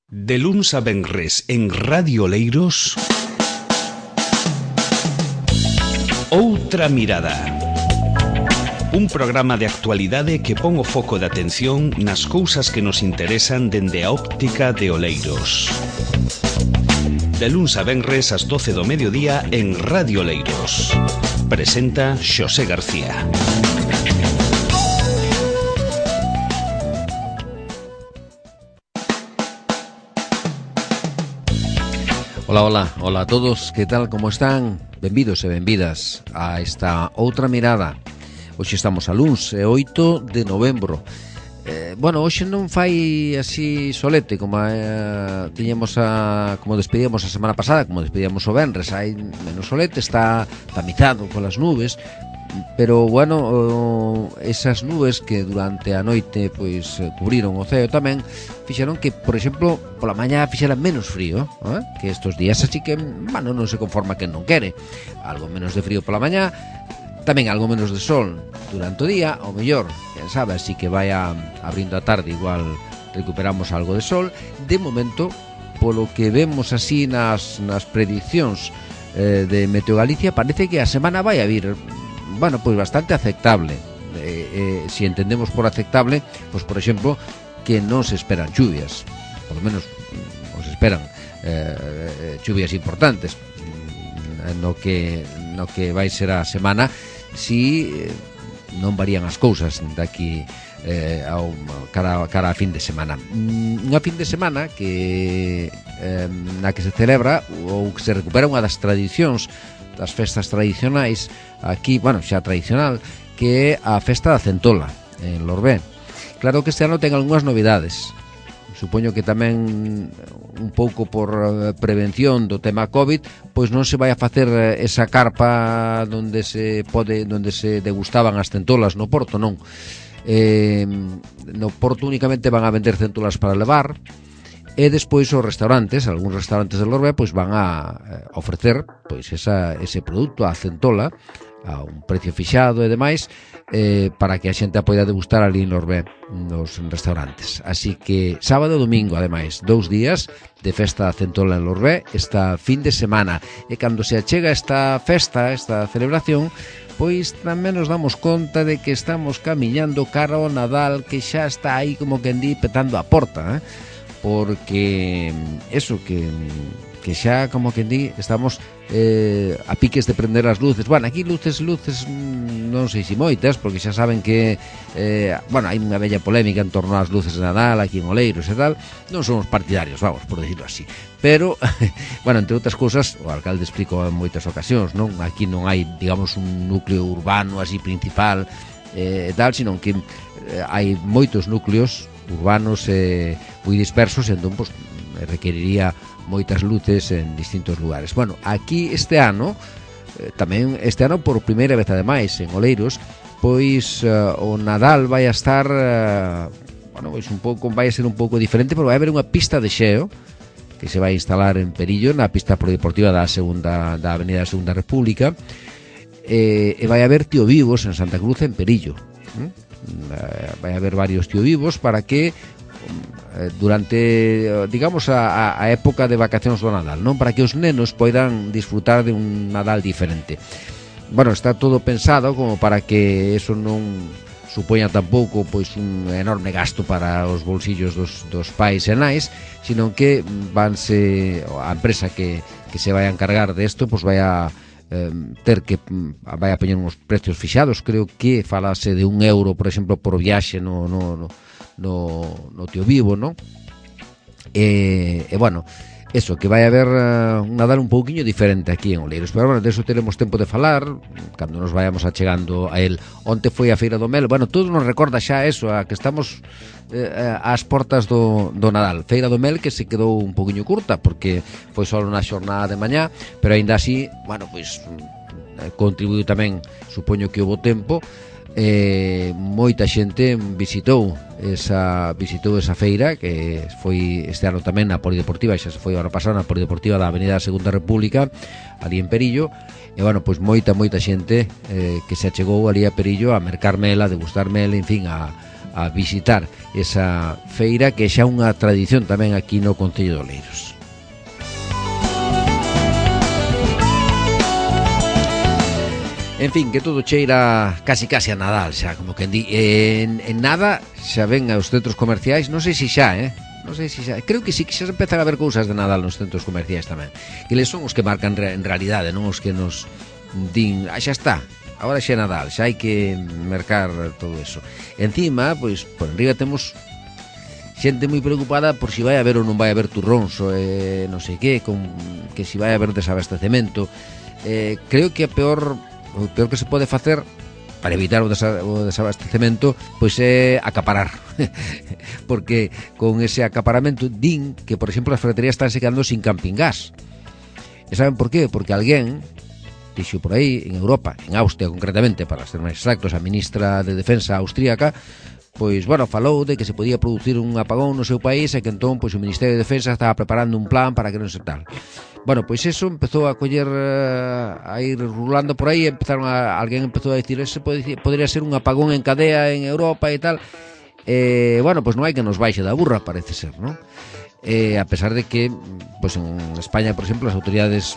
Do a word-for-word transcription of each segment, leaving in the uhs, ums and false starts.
De luns a venres en Radio Oleiros, Outra Mirada. Un programa de actualidade que pon o foco de atención nas cousas que nos interesan dende a óptica de Oleiros. De luns a venres ás doce do mediodía en Radio Oleiros. Presenta Xosé García. Ola, ola, ola a todos, que tal, como están? Benvidos e benvidas a esta Outra Mirada. Hoxe estamos a luns, é oito de novembro. eh, Bueno, hoxe non fai así solete como eh, tiñamos a, como despedíamos a semana pasada, como despedíamos o venres. Hai menos solete, está tamizado polas nubes. Pero, bueno, esas nubes que durante a noite pois cubriron o ceo tamén fixeron que, por exemplo, pola mañá fixera menos frío, eh? Que estos días así que, bueno, non se conforma quen non quere. Algo menos de frío pola mañá, tamén algo menos de sol durante o día, ou mellor, quen sabe, así que vai a, abrindo a tarde, igual recuperamos algo de sol. De momento, polo que vemos así nas, nas prediccións eh, de Meteo Galicia, parece que a semana vai a vir, bueno, pois bastante aceptable. Eh, eh, si entendemos por aceptable, pois por exemplo, que non se esperan chuvias, por lo menos non se esperan eh, chuvias importantes no que no que vai ser a semana, si eh, non varían as cousas daqui eh, ao cara cara a fin de semana. Unha fin de semana que eh, na que se celebra ou que se recupera unha das tradicións, das festas tradicionais aquí, bueno, xa tradicional, que é a festa da centola en Lorbé. Claro que este ano ten algunhas novidades. Supoño que tamén un pouco por prevención do tema COVID, pois non se vai a facer esa carpa onde se pode, onde se degustaban as centolas no Porto, non. Eh, no Porto únicamente van a vender centolas para levar. E despois os restaurantes, algúns restaurantes de Lorbé, pois van a ofrecer pois esa, ese produto, a centola, a un precio fixado e demais, eh, para que a xente a poida degustar ali en Lorbé, nos restaurantes. Así que sábado e domingo, ademais, dous días de festa da centola en Lorbé, esta fin de semana. E cando se achega esta festa, esta celebración, pois tamén nos damos conta de que estamos camiñando cara ao Nadal, que xa está aí como que di petando a porta, eh? Porque eso que, que xa como que di estamos eh, a piques de prender as luces. Bueno, aquí luces, luces non sei se moitas, porque xa saben que eh, bueno, hai unha bella polémica en torno ás luces de Nadal aquí en Oleiros e tal. Non somos partidarios, vamos, por decirlo así. Pero, bueno, entre outras cousas, o alcalde explicou en moitas ocasións, non? Aquí non hai, digamos, un núcleo urbano así principal e eh, tal, sino que eh, hai moitos núcleos urbanos eh, moi dispersos, entón pues, requeriría moitas luces en distintos lugares. Bueno, aquí este ano eh, tamén este ano por primeira vez ademais en Oleiros, pois uh, o Nadal vai a estar uh, bueno, pois un pouco vai a ser un pouco diferente, porque vai haber unha pista de xeo que se vai instalar en Perillo, na pista polideportiva da segunda da Avenida da Segunda República, eh, e vai haber tío vivos en Santa Cruz en Perillo. ¿Mm? Vai haber varios tío vivos para que durante, digamos, a, a época de vacacións do Nadal, non, para que os nenos poidan disfrutar de un Nadal diferente. Bueno, está todo pensado como para que eso non supoña tampouco pois un enorme gasto para os bolsillos dos, dos pais e nais, sino que vanse a empresa que, que se vai a encargar de isto, pois vai a Eh, ter que vai a poñer uns precios fixados. Creo que falase de un euro, por exemplo, por viaxe no, no, no, no, no tío vivo, non? E, e bueno, eso, que vai haber uh, un Nadal un pouquiño diferente aquí en Oleiros. Pero bueno, de eso teremos tempo de falar cando nos vayamos achegando a el. Onte foi a Feira do Mel. Bueno, todo nos recorda xa eso, a que estamos eh, ás portas do, do Nadal. Feira do Mel que se quedou un pouquiño curta, porque foi só unha xornada de mañá, pero aínda así, bueno, pois contribuiu tamén, supoño que houbo tempo. Eh, moita xente visitou esa visitou esa feira, que foi este ano tamén na Polideportiva, xa se foi o ano pasado na Polideportiva da Avenida da Segunda República, ali en Perillo. E bueno, pois moita, moita xente eh, que se achegou ali a Perillo a mercar mel, a degustar mel, en fin, a, a visitar esa feira que xa unha tradición tamén aquí no Concello de Oleiros. En fin, que todo cheira casi casi a Nadal xa, como que di. En, en nada xa ven aos centros comerciais, non sei se xa, eh? Non sei se xa, creo que sí que xa empezan a ver cousas de Nadal nos centros comerciais tamén. Que les son os que marcan en realidade, non os que nos din, ah, xa está, agora xa é Nadal, xa hai que mercar todo eso. Encima, pois, por enriba temos xente moi preocupada por si vai haber ou non vai haber turróns, eh, non sei que, con, que si vai haber desabastecemento. Eh, creo que a peor... o peor que se pode facer para evitar o, desa, o desabastecemento pois é acaparar porque con ese acaparamento din que, por exemplo, as ferreterías están se quedando sin camping gas. E saben por qué? Porque alguén dixo por aí, en Europa, en Austria concretamente, para ser máis exactos, a ministra de Defensa austríaca, pois, bueno, falou de que se podía producir un apagón no seu país e que entón, pois, o Ministerio de Defensa estaba preparando un plan para que non se tal. Bueno, pois eso empezou a coller, a ir rulando por aí, empezaron a, alguén empezou a dicir, ese podría ser un apagón en cadea en Europa e tal. Eh, bueno, pois non hai que nos baixe da burra, parece ser, non? Eh, a pesar de que, pois en España, por exemplo, as autoridades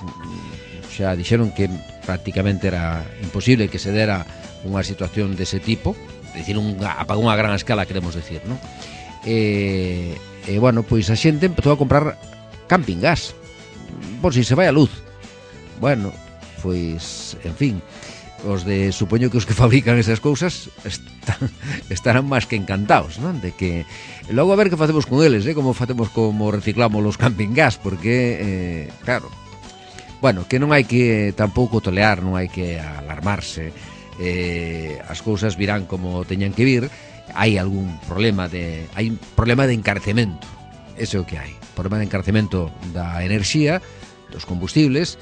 xa dixeron que prácticamente era imposible que se dera unha situación dese tipo, decir, un apagón a gran escala, queremos decir, non? E, eh, eh, bueno, pois a xente empezou a comprar camping gas por si se vai a luz. Bueno, pois, en fin, os de, supoño que os que fabrican esas cousas están, estarán máis que encantados, non? De que logo a ver que facemos con eles, eh? Como facemos, como reciclamos los camping gas, porque, eh, claro, bueno, que non hai que tampouco tolear, non hai que alarmarse, eh, as cousas virán como teñan que vir. Hai algún problema de, hai un problema de encarecemento, ese é o que hai, problema de encarecemento da enerxía, dos combustibles,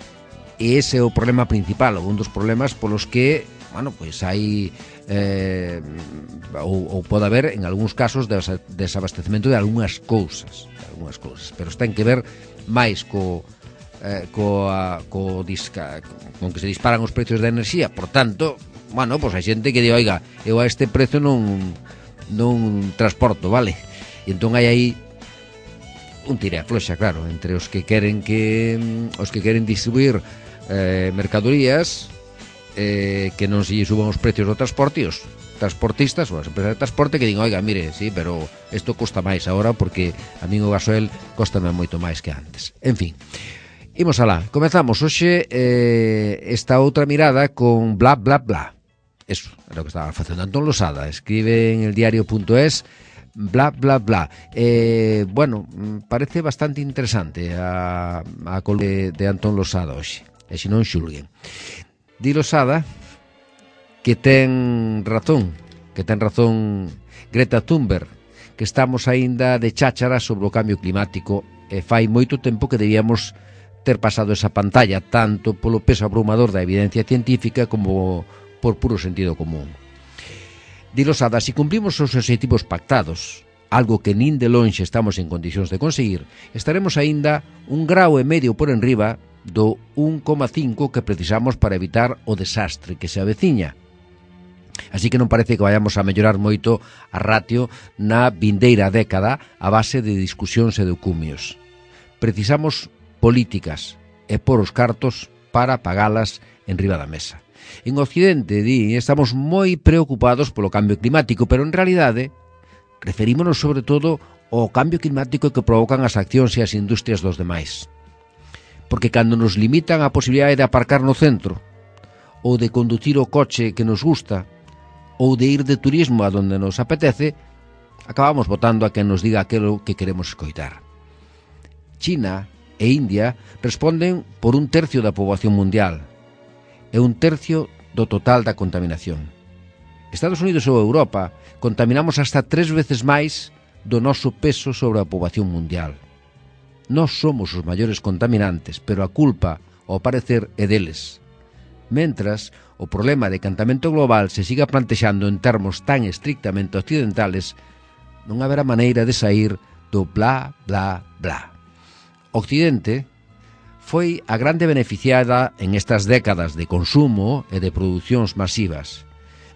e ese é o problema principal, ou un dos problemas polos que, bueno, pois hai eh, ou, ou pode haber en algúns casos desabastecemento de algunhas cousas, de algunhas cousas, pero ten que ver máis co eh, coa, co disca, con que se disparan os precios da enerxía. Por tanto, bueno, pois hai xente que di, oiga, eu a este precio non non transporto, vale? E entón hai aí un tire a floxa, claro, entre os que queren que os que queren distribuir eh, mercadorías, eh, que non se suban os precios do transporte, e os transportistas ou as empresas de transporte que digan, oiga, mire, sí, pero isto costa máis agora porque a min o gasoil costame moito máis que antes. En fin, imos alá, comezamos hoxe eh, esta outra mirada con bla bla bla. Eso era o que estaba facendo Antón Losada, escribe en el diario punto es bla bla bla. Eh, bueno, parece bastante interesante a, a col de, de Antón Losada hoxe, e se non xulguen. Di Losada que ten razón, que ten razón Greta Thunberg, que estamos aínda de cháchara sobre o cambio climático e fai moito tempo que debíamos ter pasado esa pantalla, tanto polo peso abrumador da evidencia científica como por puro sentido común. Di Losada, se cumplimos os obxectivos pactados, algo que nin de lonxe estamos en condicións de conseguir, estaremos aínda un grao e medio por enriba do un coma cinco que precisamos para evitar o desastre que se aveciña. Así que non parece que vayamos a mellorar moito a ratio na vindeira década a base de discusións e de cumios. Precisamos políticas e por os cartos para pagalas en riba da mesa. En Occidente, di, estamos moi preocupados polo cambio climático, pero en realidade referímonos sobre todo ao cambio climático que provocan as accións e as industrias dos demais. Porque cando nos limitan a posibilidade de aparcar no centro, ou de conducir o coche que nos gusta, ou de ir de turismo a donde nos apetece, acabamos votando a quen nos diga aquilo que queremos escoitar. China e India responden por un tercio da poboación mundial e un tercio do total da contaminación. Estados Unidos ou Europa contaminamos hasta tres veces máis do noso peso sobre a poboación mundial. Nós somos os maiores contaminantes, pero a culpa, ao parecer, é deles. Mentras, o problema de cantamento global se siga plantexando en termos tan estrictamente occidentales, non haberá maneira de sair do bla, bla, bla. Occidente foi a grande beneficiada en estas décadas de consumo e de producións masivas.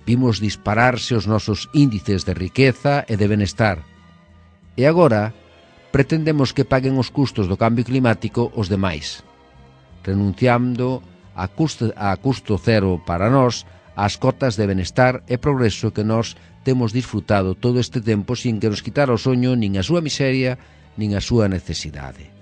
Vimos dispararse os nosos índices de riqueza e de benestar. E agora pretendemos que paguen os custos do cambio climático os demais, renunciando a custo, a custo cero para nós as cotas de benestar e progreso que nós temos disfrutado todo este tempo sin que nos quitara o soño nin a súa miseria nin a súa necesidade.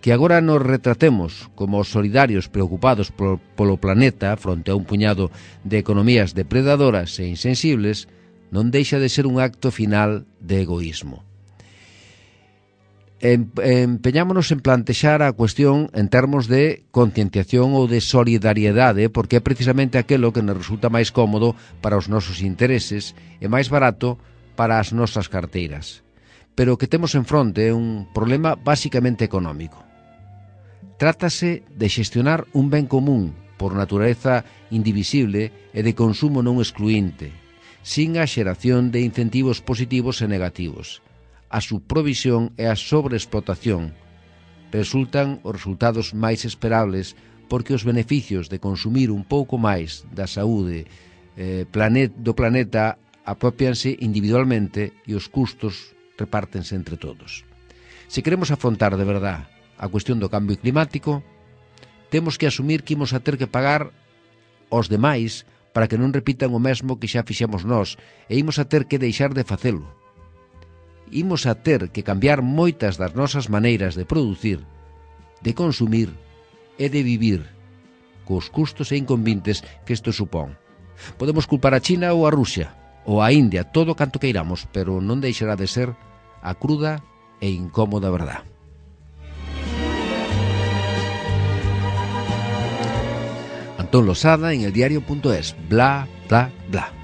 Que agora nos retratemos como solidarios preocupados polo, polo planeta fronte a un puñado de economías depredadoras e insensibles non deixa de ser un acto final de egoísmo. Empeñámonos en plantexar a cuestión en termos de concienciación ou de solidariedade, porque é precisamente aquelo que nos resulta máis cómodo para os nosos intereses e máis barato para as nosas carteiras. Pero o que temos en fronte é un problema basicamente económico. Trátase de xestionar un ben común por natureza indivisible e de consumo non excluinte, sin a xeración de incentivos positivos e negativos. A subprovisión e a sobreexplotación resultan os resultados máis esperables porque os beneficios de consumir un pouco máis da saúde eh, planet, do planeta apropianse individualmente e os custos repártense entre todos. Se queremos afrontar de verdad a cuestión do cambio climático, temos que asumir que imos a ter que pagar aos demais para que non repitan o mesmo que xa fixemos nós e imos a ter que deixar de facelo. Imos a ter que cambiar moitas das nosas maneiras de producir, de consumir e de vivir, cos custos e inconvenientes que isto supón. Podemos culpar a China ou a Rusia, ou a India, todo canto queiramos, pero non deixará de ser a cruda e incómoda verdad. Antón Losada en eldiario punto es, bla, bla, bla.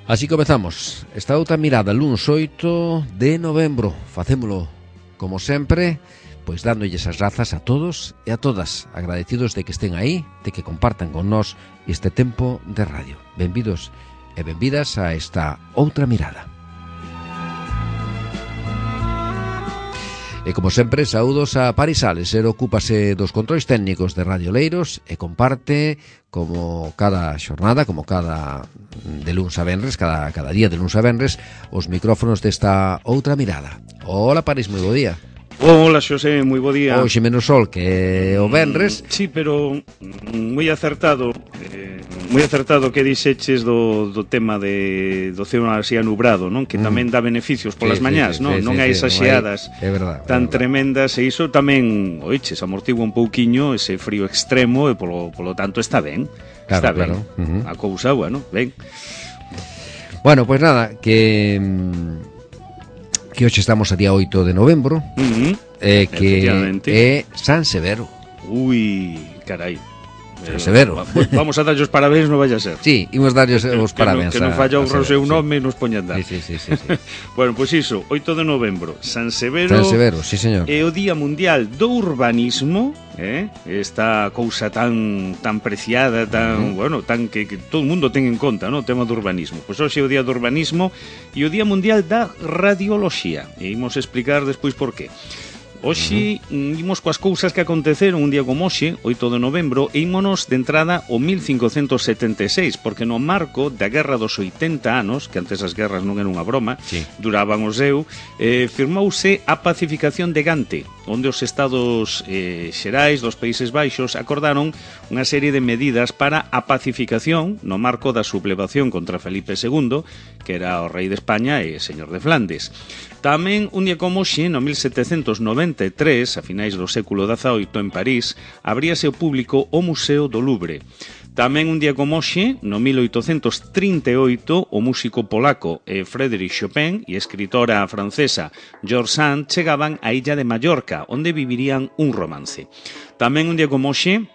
Así comezamos esta outra mirada luns oito de novembro. Facémolo, como sempre, pois dándolles as grazas a todos e a todas, agradecidos de que estén aí, de que compartan con nós este tempo de radio. Benvidos e benvidas a esta outra mirada. E como sempre, saúdos a Paris Sales, el ocúpase dos controis técnicos de Radio Leiros e comparte como cada xornada, como cada de luns a venres, cada, cada día de luns a venres, os micrófonos desta outra mirada. Hola Paris, moi bo día. Hola Xosé, moi bo día. Hoxe menos sol que o venres. Sí, pero moi acertado, eh, moi acertado que dixeches do, do tema de, do ceo así anubrado, non? Que tamén dá beneficios polas sí, mañás, sí, non? Sí, non sí, hai sí, esas non xeadas hai, é verdad, tan é verdad. tremendas, e iso tamén, oiches, amortigua un pouquiño ese frío extremo e polo, polo tanto está ben. Claro, está claro. ben. Uh-huh. A cousa, bueno, ben. Bueno, pois pues nada, que que hoxe estamos a día oito de novembro, Uh-huh. eh, que é San Severo. Ui, carai. San Severo. Vamos a darlle os parabéns, non vaya a ser. Sí, imos darlle os parabéns. Que non, que non falla o seu nome, sí. Nos poñan dar. Sí, sí, sí, sí, sí. Bueno, pois pues iso, oito de novembro, San Severo. San Severo, sí, señor. É o Día Mundial do Urbanismo, eh? Esta cousa tan tan preciada, tan, uh-huh. bueno, tan que, que todo o mundo ten en conta, no, o tema do urbanismo. Pois hoxe é o Día do Urbanismo e o Día Mundial da Radioloxía. E imos explicar despois por qué. Hoxe uh-huh. imos coas cousas que aconteceron un día como hoxe, oito de novembro, e ímonos de entrada ao mil cincocentos setenta e seis, porque no marco da Guerra dos oitenta anos, que antes as guerras non eran unha broma, sí. duraban o seu, eh, firmouse a pacificación de Gante, onde os estados eh, xerais dos Países Baixos acordaron unha serie de medidas para a pacificación no marco da sublevación contra Felipe segundo, que era o rei de España e señor de Flandes. Tamén, un día como hoxe, no mil setecentos noventa e tres, a finais do século dezaoito, en París, abríase ao público o Museo do Louvre. Tamén un día como hoxe, no mil oitocentos trinta e oito, o músico polaco Frédéric Chopin e a escritora francesa George Sand chegaban á illa de Mallorca, onde vivirían un romance. Tamén un día como hoxe,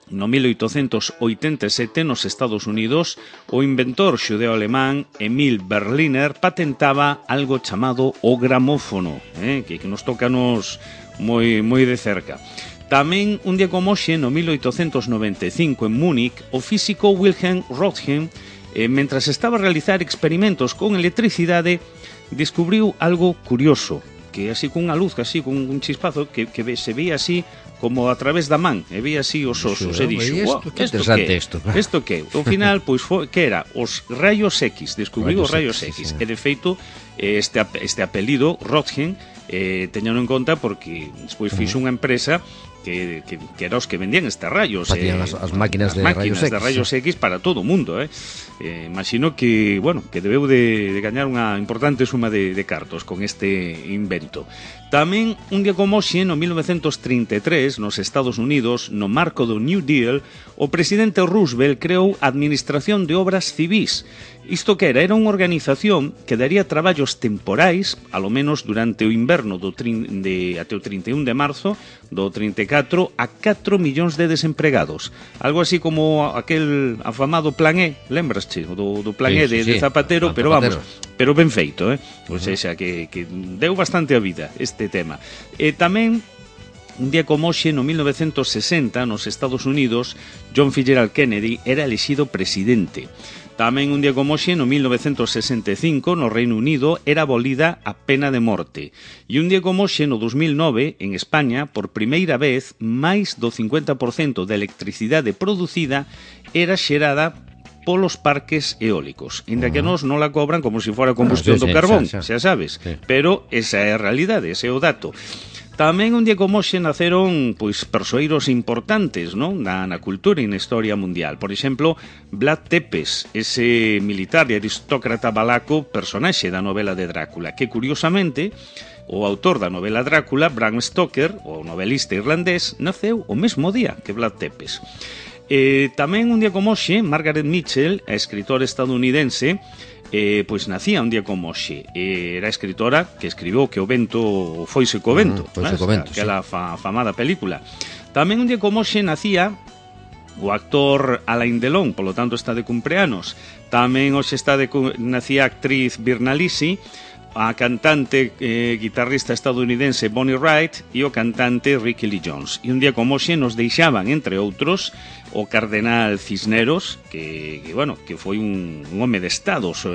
no mil oitocentos oitenta e sete, nos Estados Unidos, o inventor xudeo-alemán Emil Berliner patentaba algo chamado o gramófono, eh, que, que nos toca nos moi, moi de cerca. Tamén, un día como hoxe, no mil oitocentos noventa e cinco, en Múnich, o físico Wilhelm Röntgen, eh, mentras estaba a realizar experimentos con electricidade, descubriu algo curioso, que así cunha luz, así cun un chispazo, que, que se veía así como a través da man, e vi así os osos, e dixo, wow, isto que interesante isto. Isto que? Ao final, pois, foi, que era os rayos X, descubriu os rayos sí, X, e de feito, este, este apelido, Röntgen, eh, teñano en conta porque despois fixo unha empresa que, que, que era os que vendían estes rayos, eh, as, as máquinas, as de, máquinas rayos de rayos X, X para todo o mundo, eh. eh imagino que, bueno, que debeu de, de gañar unha importante suma de, de cartos con este invento. Tamén un día como hoxe, no mil novecentos trinta e tres, nos Estados Unidos, no marco do New Deal, o presidente Roosevelt creou a Administración de Obras Civís. Isto que era? Era unha organización que daría traballos temporais, alo menos durante o inverno do trin, de, até o trinta e un de marzo do trinta e catro, a catro millóns de desempregados. Algo así como aquel afamado Plan E, lembrasche? Do, do Plan sí, E de, sí, de Zapatero, sí. pero Zapatero. vamos, pero ben feito, eh? Uh Ou -huh. seja, que, que deu bastante a vida este tema. E tamén, un día como hoxe, no mil novecentos sesenta, nos Estados Unidos, John Fitzgerald Kennedy era elexido presidente. Tamén un día como hoxe, no mil novecentos sesenta e cinco, no Reino Unido, era abolida a pena de morte. E un día como hoxe, no dos mil nove, en España, por primeira vez, máis do cincuenta por cento da electricidade producida era xerada polos parques eólicos. Inda que nos non la cobran como se fora combustión ah, sí, do carbón, sí, xa sabes. Sí. Pero esa é a realidade, ese é o dato. Tamén un día como hoxe naceron pois persoeiros importantes, non? Na, na cultura e na historia mundial. Por exemplo, Vlad Tepes, ese militar e aristócrata valaco, personaxe da novela de Drácula, que curiosamente o autor da novela Drácula, Bram Stoker, o novelista irlandés, naceu o mesmo día que Vlad Tepes. Eh, tamén un día como hoxe, Margaret Mitchell, a escritora estadounidense, Eh, pois nacía un día como hoxe. eh, Era escritora que escribiu Que o vento foise co vento, uh, foise co vento, aquela sí. fa, famada película. Tamén un día como hoxe nacía o actor Alain Delon, polo tanto está de cumpleanos. Tamén hoxe está de, nacía a actriz Virna Lisi, a cantante eh, guitarrista estadounidense Bonnie Wright e o cantante Ricky Lee Jones. E un día como hoxe nos deixaban, entre outros, o cardenal Cisneros, que, que bueno, que foi un, un home de Estado, so,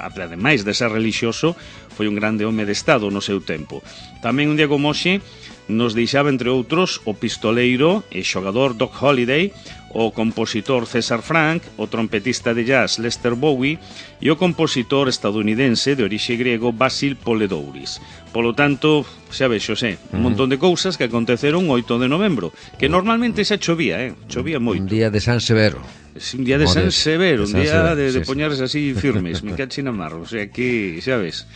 ademais de ser religioso, foi un grande home de Estado no seu tempo. Tamén un día como hoxe nos deixaba, entre outros, o pistoleiro e xogador Doc Holliday, o compositor César Frank, o trompetista de jazz Lester Bowie e o compositor estadounidense de orixe griego Basil Poledouris. Polo tanto, xa ves, Xosé, un montón de cousas que aconteceron o oito de novembro, que normalmente xa chovía, eh? Chovía moito. Un día de San Severo. Es un día de San Severo, un día de, de sí, poñarse así firmes, me cachi na mar, o sea que, xa ves.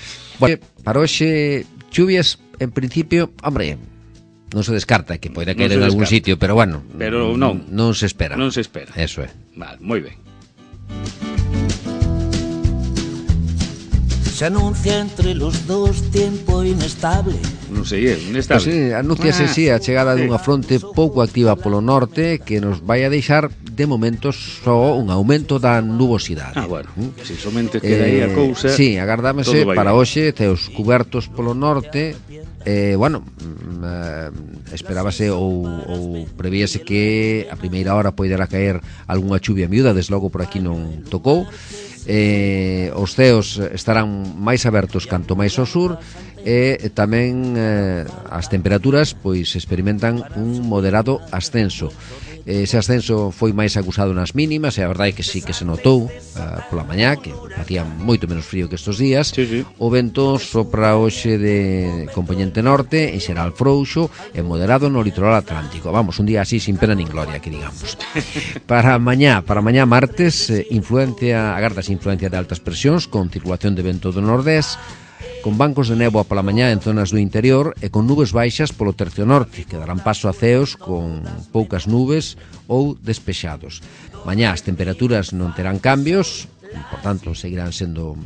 Bueno, para hoxe, chuvias, en principio, hombre, non se descarta que poida caer en algún sitio, pero bueno, pero non, non se espera. Non se espera. Eso é. Vale, moi ben. Se anuncia entre los dos tiempo inestable. Non sei, é inestable. Pues sí, anúnciase ah, sí a chegada dunha fronte pouco activa polo norte que nos vai a deixar de momentos só un aumento da nubosidade. Ah, bueno, ¿Mm? Si somente queda aí a cousa. Sí, agardámese para hoxe teos cubertos polo norte. Eh, bueno, eh, esperábase ou, ou prevíase que a primeira hora poidera caer algunha chuvia miúda, desde logo por aquí non tocou. Eh, os ceos estarán máis abertos canto máis ao sur e tamén eh, as temperaturas pois experimentan un moderado ascenso. Ese ascenso foi máis acusado nas mínimas e a verdade é que sí que se notou uh, pola mañá, que facía moito menos frío que estes días. Sí, sí. O vento sopra hoxe de componente norte, en xeral frouxo e moderado no litoral atlántico. Vamos, un día así sin pena nin gloria, que digamos. Para mañá, para mañá martes, eh, influencia, agardas influencia de altas presións con circulación de vento do nordés, con bancos de néboa pola mañá en zonas do interior e con nubes baixas polo tercio norte, que darán paso a ceos con poucas nubes ou despexados. Mañá as temperaturas non terán cambios, por tanto seguirán sendo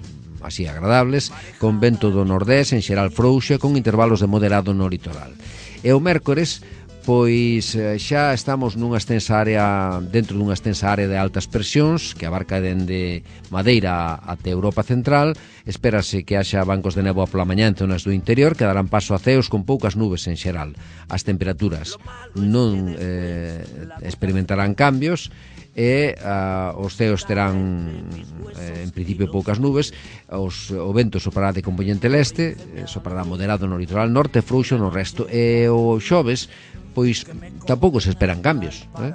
así agradables, con vento do nordés en xeral frouxo e con intervalos de moderado no litoral. E o mércores, pois xa estamos nunha extensa área, dentro dunha extensa área de altas presións que abarca dende Madeira até Europa Central. Espérase que haxa bancos de néboa pola mañá en zonas do interior que darán paso a ceos con poucas nubes en xeral. As temperaturas non eh, experimentarán cambios e uh, os ceos terán eh, en principio poucas nubes. Os, o vento soprará de componente leste, eh, soprará moderado no litoral norte, frouxo no resto, e o xoves pois tampouco se esperan cambios, eh?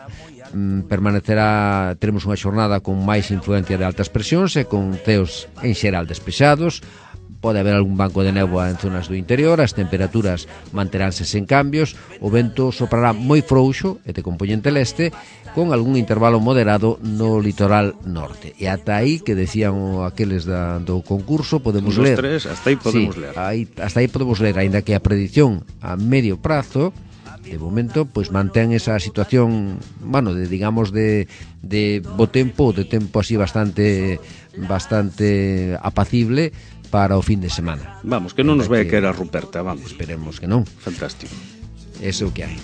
mm, permanecerá, teremos unha xornada con máis influencia de altas presións e con ceos en xeral despexados. Pode haber algún banco de néboa en zonas do interior, as temperaturas manteránse sen cambios, o vento soprará moi frouxo e de compoñente leste, con algún intervalo moderado no litoral norte. E ata aí, que decían aqueles da, do concurso, podemos Unos ler. Tres, hasta aí podemos sí, ler. Aí, hasta aí podemos ler, aínda que a predición a medio prazo, de momento, pois mantén esa situación, bueno, de, digamos, de, de bo tempo, de tempo así bastante, bastante apacible, para o fin de semana. Vamos, que non nos vai a caer a Ruperta, vamos. Esperemos que non. Fantástico. Eso que hai.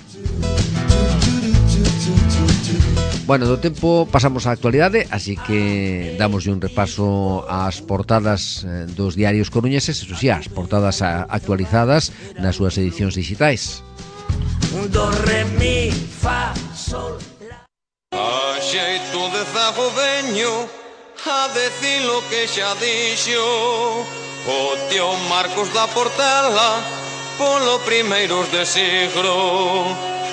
Bueno, do tempo pasamos á actualidade, así que damos un repaso ás portadas dos diarios coruñeses, eso sí, as portadas actualizadas nas súas edicións digitais. Do, re, mi, fa, sol, la. A xeito de zago veño a decir lo que xa dixo o tío Marcos da Portela polo primeiros de siglo,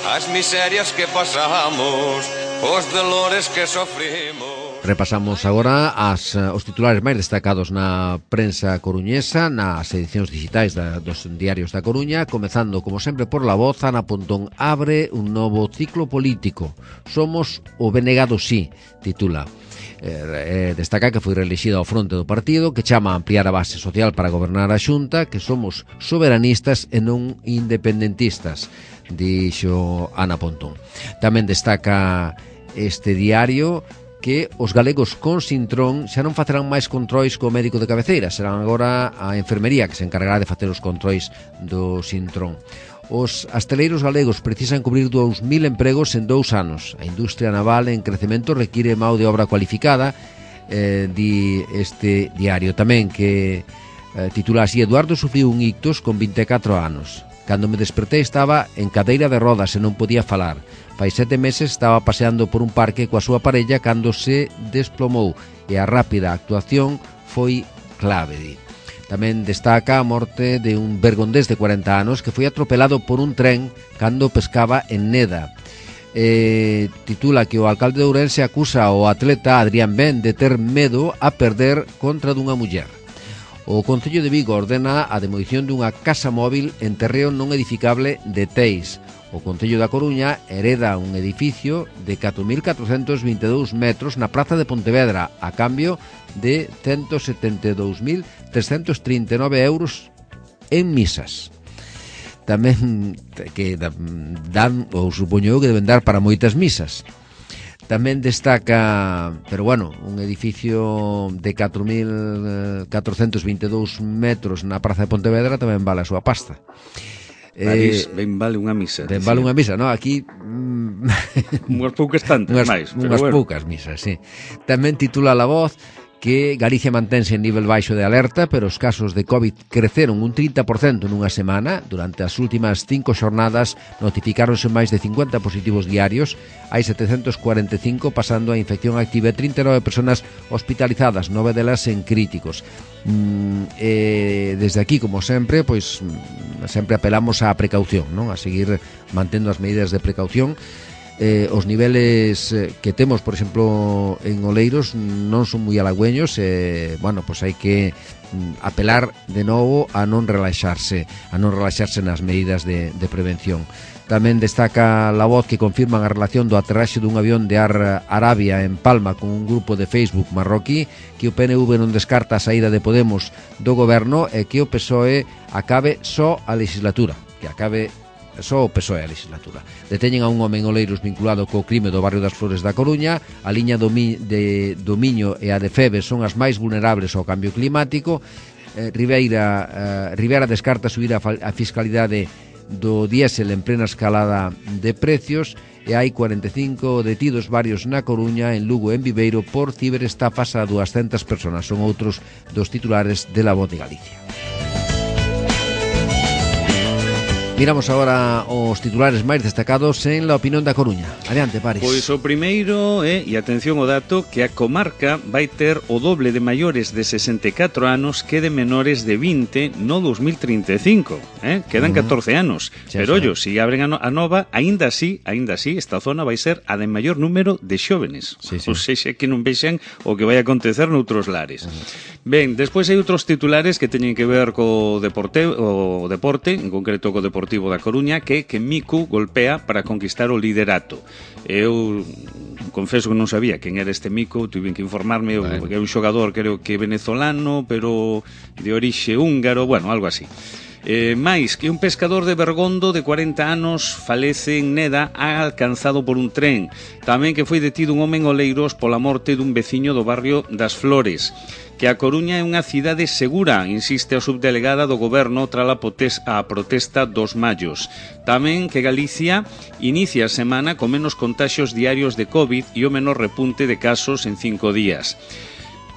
as miserias que pasamos, os dolores que sofrimos. Repasamos agora as, os titulares máis destacados na prensa coruñesa, nas edicións digitais da, dos diarios da Coruña, comezando, como sempre, por La Voz. Ana Pontón abre un novo ciclo político. Somos o Benegado sí, titula. Eh, eh, destaca que foi reelixida ao fronte do partido, que chama a ampliar a base social para gobernar a Xunta, que somos soberanistas e non independentistas, dixo Ana Pontón. Tamén destaca este diario que os galegos con Sintrón xa non facerán máis controis co médico de cabeceira, serán agora a enfermería que se encargará de facer os controis do Sintrón. Os asteleiros galegos precisan cubrir dous mil empregos en dous anos. A industria naval en crecemento require mão de obra cualificada, eh, di este diario tamén, que eh, titula así: Eduardo sufriu un ictus con vinte e catro anos. Cando me despertei estaba en cadeira de rodas e non podía falar. Fai sete meses estaba paseando por un parque coa súa parella cando se desplomou e a rápida actuación foi clave, di. Tamén destaca a morte de un bergondés de cuarenta anos que foi atropelado por un tren cando pescaba en Neda. Eh, titula que o alcalde de Ourense acusa ao atleta Adrián Ben de ter medo a perder contra dunha muller. O Concello de Vigo ordena a demolición dunha casa móvil en terreo non edificable de Teis. O Concello da Coruña hereda un edificio de catro mil catrocentos vinte e dous metros na praza de Pontevedra a cambio de ciento setenta e dous mil trescentos trinta e nove euros en misas. Tamén que dan, ou supoño que deben dar para moitas misas. Tamén destaca, pero bueno, un edificio de catro mil catrocentos vinte e dous metros na praza de Pontevedra tamén vale a súa pasta. París, eh, ben vale unha misa. Ben vale unha misa, no? Aquí mm, unhas poucas tantas unhas, máis, unhas bueno. poucas misas, sí. Tamén titula La Voz que Galicia mantense en nivel baixo de alerta, pero os casos de COVID creceron un trinta por cento nunha semana. Durante as últimas cinco xornadas notificáronse máis de cincuenta positivos diarios. Hai setecentos cuarenta e cinco pasando a infección activa e trinta e nove persoas hospitalizadas, nove delas en críticos. Mm, eh, desde aquí, como sempre, pois sempre apelamos á precaución, non? A seguir mantendo as medidas de precaución. Eh, os niveles que temos, por exemplo, en Oleiros non son moi halagüeños, e, bueno, pois hai que apelar de novo a non relaxarse, a non relaxarse nas medidas de, de prevención. Tamén destaca La Voz que confirman a relación do aterraxe dun avión de Ar Arabia en Palma con un grupo de Facebook marroquí, que o P N V non descarta a saída de Podemos do goberno e que o P S O E acabe só a legislatura, que acabe só o P S O E a legislatura. Deteñen a un home en Oleiros vinculado co crime do barrio das Flores da Coruña. A liña do, Mi, de, do Miño e a de Febe son as máis vulnerables ao cambio climático. eh, Ribeira, eh, Rivera descarta subir a, a fiscalidade do diésel en plena escalada de precios, e hai cuarenta e cinco detidos varios na Coruña, en Lugo e en Viveiro por ciberestafas a doscientas persoas. Son outros dos titulares de La Voz de Galicia. Miramos agora os titulares máis destacados en La Opinión da Coruña. Adiante, Paris. Pois o primeiro é, e atención ao dato, que a comarca vai ter o doble de maiores de sesenta e catro anos que de menores de vinte no dos mil trinta e cinco. Eh? Quedan uh-huh. catorce anos. Sí, Pero, ollo, se si abren a, no, a nova, aínda así, aínda así, esta zona vai ser a de maior número de xóvenes. Sí, sí. Ou seja, que non vexan o que vai acontecer noutros lares. Uh-huh. Ben, despois hai outros titulares que teñen que ver co deporte, o deporte, en concreto co Deportivo da Coruña, que que Miku golpea para conquistar o liderato. Eu confeso que non sabía quen era este Miku, tuve que informarme, bueno. que é un xogador creo que venezolano, pero de orixe húngaro, bueno, algo así. Eh, máis que un pescador de Bergondo de cuarenta anos falece en Neda alcanzado por un tren. Tamén que foi detido un home en Oleiros pola morte dun veciño do barrio das Flores. Que a Coruña é unha cidade segura, insiste a subdelegada do goberno tras a, potes- a protesta dos mallos. Tamén que Galicia inicia a semana con menos contaxios diarios de COVID e o menor repunte de casos en cinco días.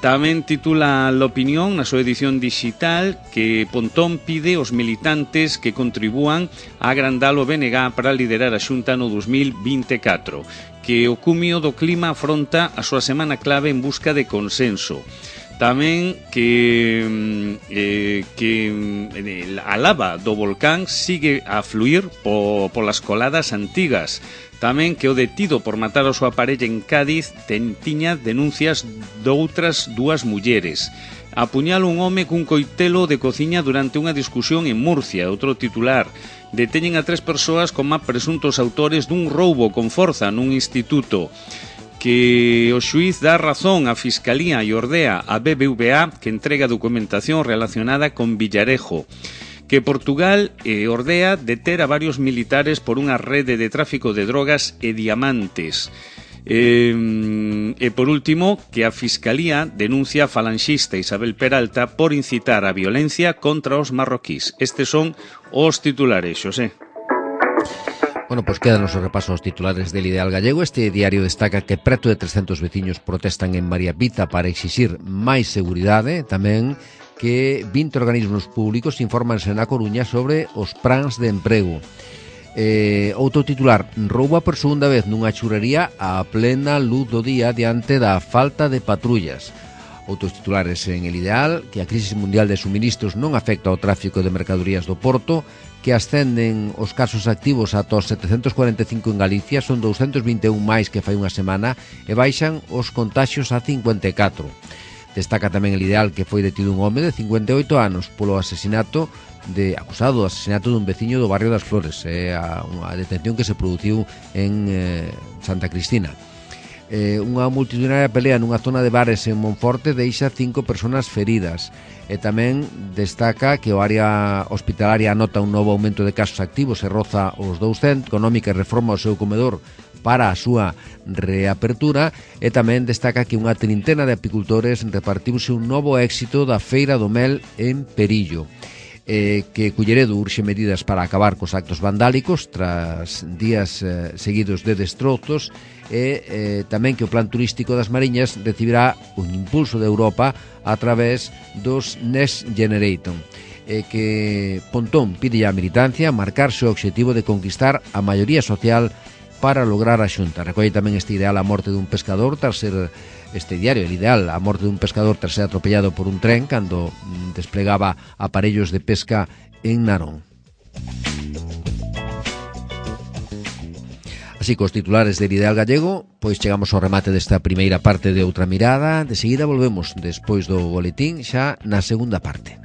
Tamén titula La Opinión na súa edición digital que Pontón pide aos militantes que contribúan a agrandar o B N G para liderar a Xunta no dos mil vinte e catro, que o cumio do clima afronta a súa semana clave en busca de consenso. Tamén que, eh, que eh, a lava do volcán sigue a fluir po, polas coladas antigas. Tamén que o detido por matar a súa parella en Cádiz ten, tiña denuncias doutras dúas mulleres. Apuñala un home cun coitelo de cociña durante unha discusión en Murcia. Outro titular. Deteñen a tres persoas como presuntos autores dun roubo con forza nun instituto. Que o xuíz dá razón á Fiscalía e ordea a B B V A que entrega documentación relacionada con Villarejo. Que Portugal eh, ordea deter a varios militares por unha rede de tráfico de drogas e diamantes. Eh, e por último, que a Fiscalía denuncia a falanxista Isabel Peralta por incitar a violencia contra os marroquís. Estes son os titulares, Xosé. Bueno, pois quedan os repasos aos titulares del Ideal Gallego. Este diario destaca que preto de trescentos veciños protestan en María Pita para exixir máis seguridade. Tamén que vinte organismos públicos infórmanse na Coruña sobre os plans de emprego. Eh, outro titular, rouba por segunda vez nunha churrería a plena luz do día diante da falta de patrullas. Outros titulares en El Ideal, que a crisis mundial de suministros non afecta ao tráfico de mercadorías do Porto, que ascenden os casos activos ata os setecentos cuarenta e cinco en Galicia, son doscientos vinte e un máis que fai unha semana, e baixan os contaxios a cincuenta e catro. Destaca tamén El Ideal que foi detido un home de cincuenta e oito anos polo asesinato de acusado do asesinato dun veciño do barrio das Flores, é a, unha detención que se produciu en eh, Santa Cristina. Eh, unha multitudinaria pelea nunha zona de bares en Monforte deixa cinco persoas feridas. E tamén destaca que o área hospitalaria anota un novo aumento de casos activos e roza os douscentos, económica e reforma o seu comedor para a súa reapertura, e tamén destaca que unha trintena de apicultores repartiuse un novo éxito da Feira do Mel en Perillo. Eh, que Culleredo urxe medidas para acabar cos actos vandálicos tras días eh, seguidos de destrozos, e eh, tamén que o plan turístico das Mariñas recibirá un impulso de Europa a través dos Next Generation, e que Pontón pide á militancia marcarse o obxectivo de conquistar a maioría social para lograr a Xunta. Recolle tamén este ideal a morte dun pescador tras ser este diario, El Ideal, a morte dun pescador tras ser atropellado por un tren cando desplegaba aparellos de pesca en Narón. Así que os titulares del Ideal Gallego, pois chegamos ao remate desta primeira parte de Outra Mirada. De seguida volvemos despois do boletín xa na segunda parte.